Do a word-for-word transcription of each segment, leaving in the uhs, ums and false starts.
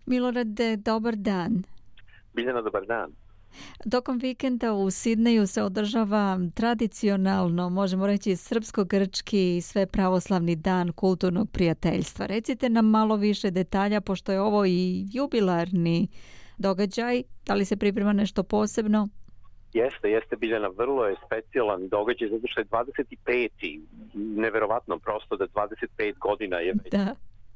Milorade, dobar dan. Biljana, dobar dan. Tokom vikenda u Sidneju se održava tradicionalno, možemo reći, srpsko-grčki sve pravoslavni dan kulturnog prijateljstva. Recite nam malo više detalja, pošto je ovo i jubilarni događaj. Da li se priprema nešto posebno? Jeste, jeste Biljana, vrlo je specijalan događaj, zato što je dvadeset peti Neverovatno prosto da dvadeset pet godina je već. Da.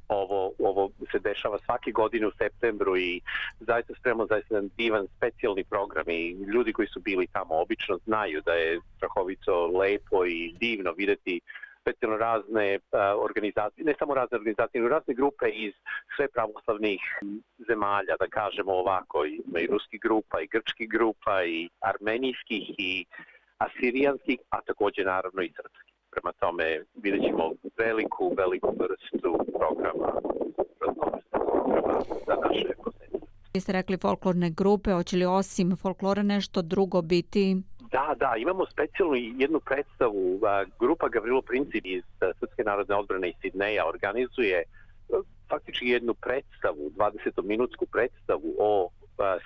Ovo, ovo se dešava svake godine u septembru i zaista spremamo zaista jedan divan specijalni program i ljudi koji su bili tamo obično znaju da je strahovito lepo i divno videti specijalno razne uh, organizacije, ne samo razne organizacije, nego razne grupe iz sve pravoslavnih zemalja, da kažemo ovako, ima i ruskih grupa, i grčkih grupa, i armenijskih, i asirijanskih, a također naravno i srpskih. Prema tome vidjet ćemo veliku, veliku vrstu programa, programa za naše posete. Vi ste rekli folklorne grupe, hoće li osim folklora nešto drugo biti? Da, da, imamo specijalnu jednu predstavu. Grupa Gavrilo Princip iz Srpske narodne odbrane iz Sidneja organizuje faktički jednu predstavu, dvadesetominutsku predstavu o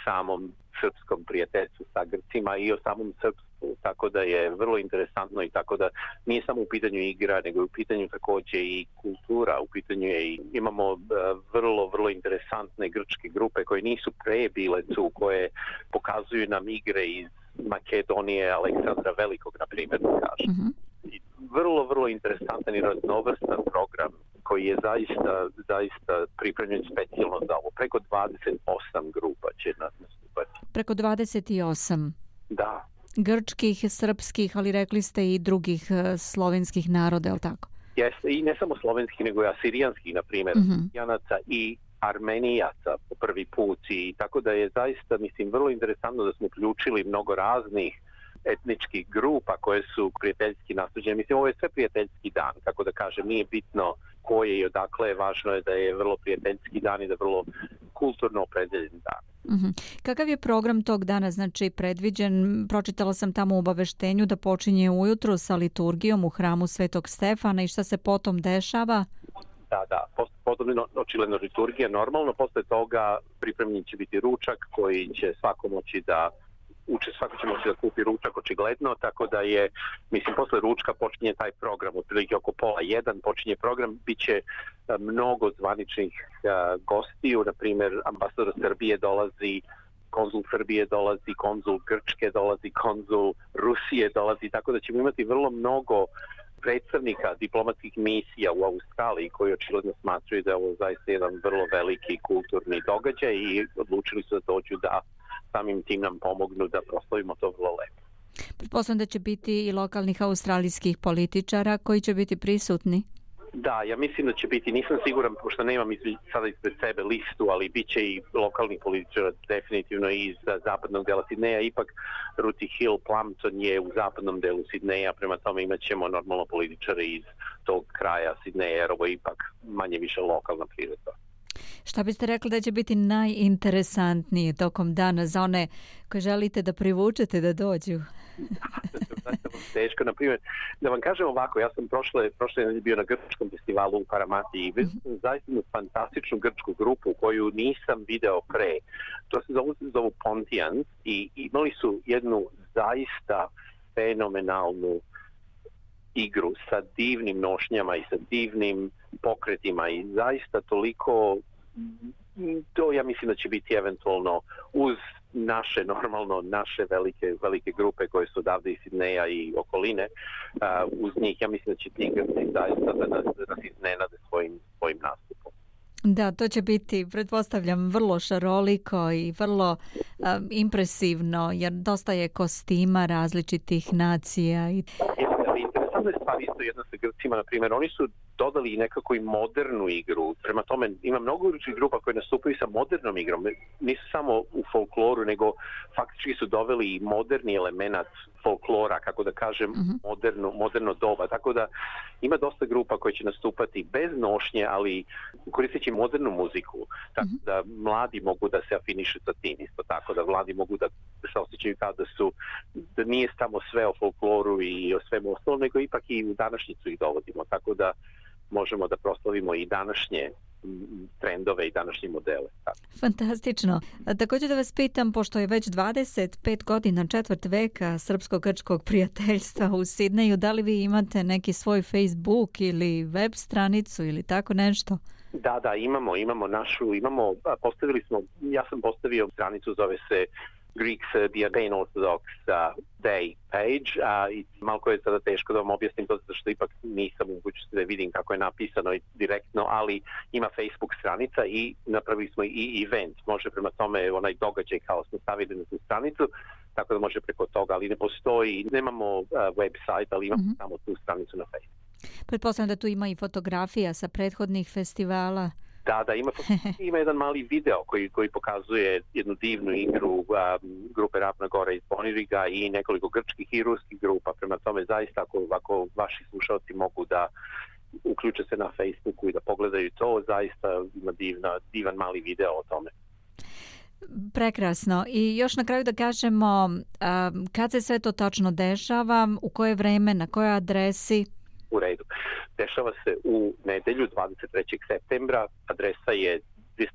samom srpskom prijateljstvu sa Grcima i o samom srpstvu, tako da je vrlo interesantno i tako da nije samo u pitanju igra, nego je u pitanju također i kultura, u pitanju je i imamo vrlo, vrlo interesantne grčke grupe koje nisu pre bile tu, koje pokazuju nam igre iz Makedonije, Aleksandra Velikog, na primjer, da kažem. Mm-hmm. I vrlo, vrlo interesantan i raznovrstan program koji je zaista, zaista pripremljen specijalno za ovo. Preko dvadeset osam grupa će nas nastupati. Preko dvadeset osam? Da. Grčkih, srpskih, ali rekli ste i drugih slovenskih naroda, je li tako? Jeste, i ne samo slovenskih, nego i asirijanskih, na primjer, mm-hmm. Janaca i Armenijaca po prvi put i tako da je zaista, mislim, vrlo interesantno da smo uključili mnogo raznih etničkih grupa koje su prijateljski nastuđene. Mislim, ovo je sve prijateljski dan, kako da kažem, nije bitno ko je i odakle je, važno je da je vrlo prijateljski dan i da je vrlo kulturno opredeljen dan. Mm-hmm. Kakav je program tog dana, znači, predviđen? Pročitala sam tamo u obaveštenju da počinje ujutro sa liturgijom u hramu Svetog Stefana i šta se potom dešava? Da, da, potom očigledno liturgija normalno, posle toga pripremljen će biti ručak koji će svako moći da uče, svako će moći da kupi ručak očigledno, tako da je, mislim, posle ručka počinje taj program, otprilike oko pola jedan počinje program, bit će mnogo zvaničnih uh, gostiju, na primjer ambasador Srbije dolazi, konzul Srbije dolazi, konzul Grčke dolazi, konzul Rusije dolazi, tako da ćemo imati vrlo mnogo predstavnika diplomatskih misija u Australiji koji očigledno smatraju da je ovo zaista jedan vrlo veliki kulturni događaj i odlučili su da dođu da samim tim nam pomognu da proslavimo to vrlo lepo. Pretpostavljam da će biti i lokalnih australijskih političara koji će biti prisutni. Da, ja mislim da će biti, nisam siguran, pošto nemam iz, sada ispred sebe listu, ali bit će i lokalni političara definitivno iz zapadnog dela Sidneja. Ipak Ruti Hill Plumpton je u zapadnom delu Sidneja, prema tome imat ćemo normalno političare iz tog kraja Sidneja, jer ovo je ipak manje više lokalna priredba. Šta biste rekli da će biti najinteresantnije tokom dana za one koje želite da privučete da dođu? Teško, na primjer, da vam kažem ovako, ja sam prošle, prošle bio na grčkom festivalu u Paramati i vidio sam zaista jednu fantastičnu grčku grupu koju nisam video pre. To se zovu, zovu Pontians i imali su jednu zaista fenomenalnu igru sa divnim nošnjama i sa divnim pokretima i zaista toliko, to ja mislim da će biti eventualno uz naše, normalno naše velike, velike grupe koje su odavde iz Sidneja i okoline, uh, uz njih ja mislim da će ti Grci zaista da nas, da nas iznenade svojim, svojim nastupom. Da, to će biti, pretpostavljam, vrlo šaroliko i vrlo um, impresivno, jer dosta je kostima različitih nacija. I... Interesantna je stvar isto jedna sa Grcima, na primjer, oni su dodali nekako i modernu igru. Prema tome, ima mnogo grupa koje nastupaju sa modernom igrom. Nisu samo u folkloru, nego faktički su doveli i moderni element folklora, kako da kažem, uh-huh. moderno, moderno doba. Tako da ima dosta grupa koje će nastupati bez nošnje, ali koristeći modernu muziku. Tako uh-huh. da mladi mogu da se afinišu sa tim isto. Tako da mladi mogu da se osjećaju kao da su, da nije samo sve o folkloru i o svemu ostalom, nego ipak i u današnjicu ih dovodimo. Tako da možemo da proslavimo i današnje trendove i današnje modele. Fantastično. A također da vas pitam, pošto je već dvadeset pet godina, četvrt veka srpsko-grčkog prijateljstva u Sidneju, da li vi imate neki svoj Facebook ili web stranicu ili tako nešto? Da, da, imamo, imamo našu, imamo, postavili smo, ja sam postavio stranicu, zove se Greek Serbia Pan Orthodox uh, Day page, uh, i malko je sada teško da vam objasnim to, zato što ipak nisam u mogućnosti da vidim kako je napisano direktno, ali ima Facebook stranica i napravili smo i event. Može prema tome onaj događaj kao smo stavili na tu stranicu, tako da može preko toga, ali ne postoji, nemamo uh, website, ali imamo mm-hmm. samo tu stranicu na Facebooku. Pretpostavljam da tu ima i fotografija sa prethodnih festivala. Da, da, ima, ima jedan mali video koji, koji pokazuje jednu divnu igru um, grupe Ravna Gora iz Boniriga i nekoliko grčkih i ruskih grupa. Prema tome, zaista, ako, ako vaši slušalci mogu da uključe se na Facebooku i da pogledaju to, zaista ima divna, divan mali video o tome. Prekrasno. I još na kraju da kažemo, um, kad se sve to tačno dešava, u koje vreme, na kojoj adresi? U redu. Dešava se u nedelju dvadeset trećeg septembra. Adresa je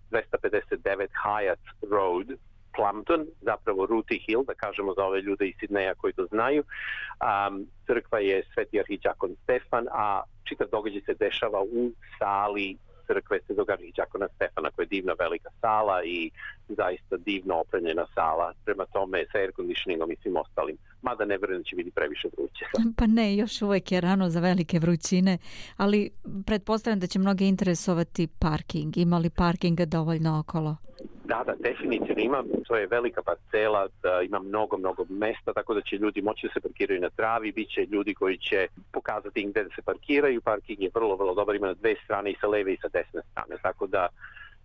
dvesta pedeset devet Hyatt Road, Plumpton, zapravo Ruti Hill, da kažemo za ove ljude iz Sidneja koji to znaju. Um, crkva je Sveti arhiđakon Stefan, a čitav događaj se dešava u sali crkve Svetog arhiđakona Stefana, koja je divna velika sala i zaista divno opremljena sala, prema tome sa air conditioningom i svim ostalim. Mada ne vjerujem da će biti previše vruće. Pa ne, još uvijek je rano za velike vrućine, ali pretpostavljam da će mnoge interesovati parking. Ima li parkinga dovoljno okolo? Da, da, definitivno ima. To je velika parcela, da ima mnogo, mnogo mesta, tako da će ljudi moći da se parkiraju na travi, bit će ljudi koji će pokazati gdje da se parkiraju. Parking je vrlo, vrlo dobar, ima na dve strane, i sa leve i sa desne strane, tako da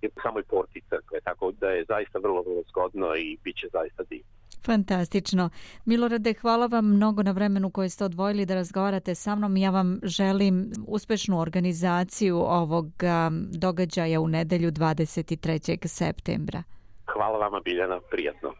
je po samoj porti crkve, tako da je zaista vrlo, vrlo zgodno i bit će zaista divno. Fantastično. Milorade, hvala vam mnogo na vremenu koje ste odvojili da razgovarate sa mnom. Ja vam želim uspešnu organizaciju ovog um, događaja u nedelju dvadeset trećeg septembra. Hvala vama, Biljana, prijatno.